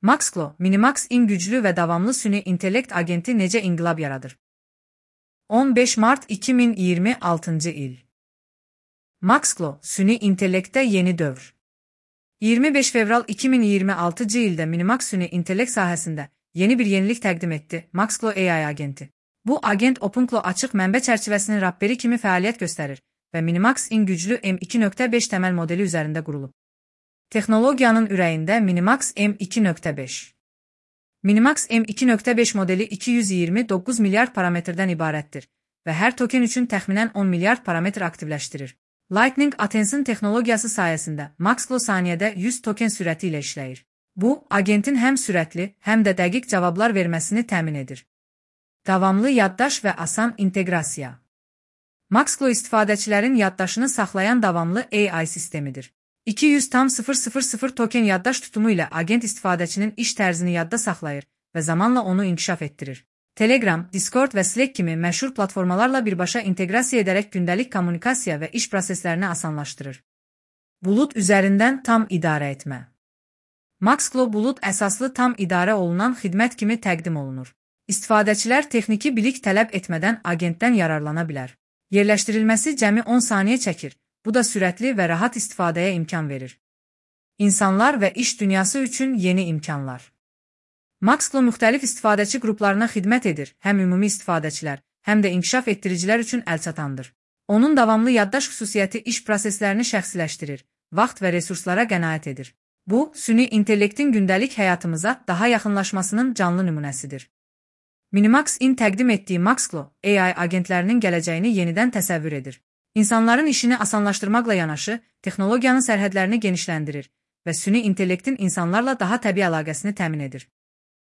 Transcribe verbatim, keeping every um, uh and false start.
Maxqlo, Minimax in güclü və davamlı süni intellekt agenti necə inqilab yaradır? on beş mart iki min iyirmi altıncı il. Maxqlo, süni intellektdə yeni dövr. iyirmi beş fevral iki min iyirmi altıncı ildə Minimax süni intellekt sahəsində yeni bir yenilik təqdim etdi, Maxqlo A I agenti. Bu agent OpenClaw açıq mənbə çərçivəsinin rapperi kimi fəaliyyət göstərir və Minimax in güclü M iki nöqtə beş təməl modeli üzərində qurulub. Texnologiyanın ürəyində Minimax M iki nöqtə beş. Minimax M iki nöqtə beş modeli iki yüz iyirmi doqquz milyard parametrdən ibarətdir və hər token üçün təxminən on milyard parametr aktivləşdirir. Lightning Attention texnologiyası sayəsində Maxqlo saniyədə yüz token sürəti ilə işləyir. Bu, agentin həm sürətli, həm də dəqiq cavablar verməsini təmin edir. Davamlı yaddaş və asan inteqrasiya. Maxqlo istifadəçilərin yaddaşını saxlayan davamlı A I sistemidir. iki yüz tam sıfır sıfır sıfır token yaddaş tutumu ilə agent istifadəçinin iş tərzini yadda saxlayır və zamanla onu inkişaf etdirir. Telegram, Discord və Slack kimi məşhur platformalarla birbaşa inteqrasiya edərək gündəlik kommunikasiya və iş proseslərini asanlaşdırır. Bulut üzərindən tam idarə etmə. Maxqlo bulut əsaslı tam idarə olunan xidmət kimi təqdim olunur. İstifadəçilər texniki bilik tələb etmədən agentdən yararlana bilər. Yerləşdirilməsi cəmi on saniyə çəkir. Bu da sürətli və rahat istifadəyə imkan verir. İnsanlar və iş dünyası üçün yeni imkanlar. Maxqlo müxtəlif istifadəçi qruplarına xidmət edir, həm ümumi istifadəçilər, həm də inkişaf etdiricilər üçün əlçatandır. Onun davamlı yaddaş xüsusiyyəti iş proseslərini şəxsiləşdirir, vaxt və resurslara qənaət edir. Bu, süni intellektin gündəlik həyatımıza daha yaxınlaşmasının canlı nümunəsidir. Minimax in təqdim etdiyi Maxqlo, A I agentlərinin gələcəyini yenidən təsəvvür edir. İnsanların işini asanlaşdırmaqla yanaşı, texnologiyanın sərhədlərini genişləndirir və süni intellektin insanlarla daha təbii əlaqəsini təmin edir.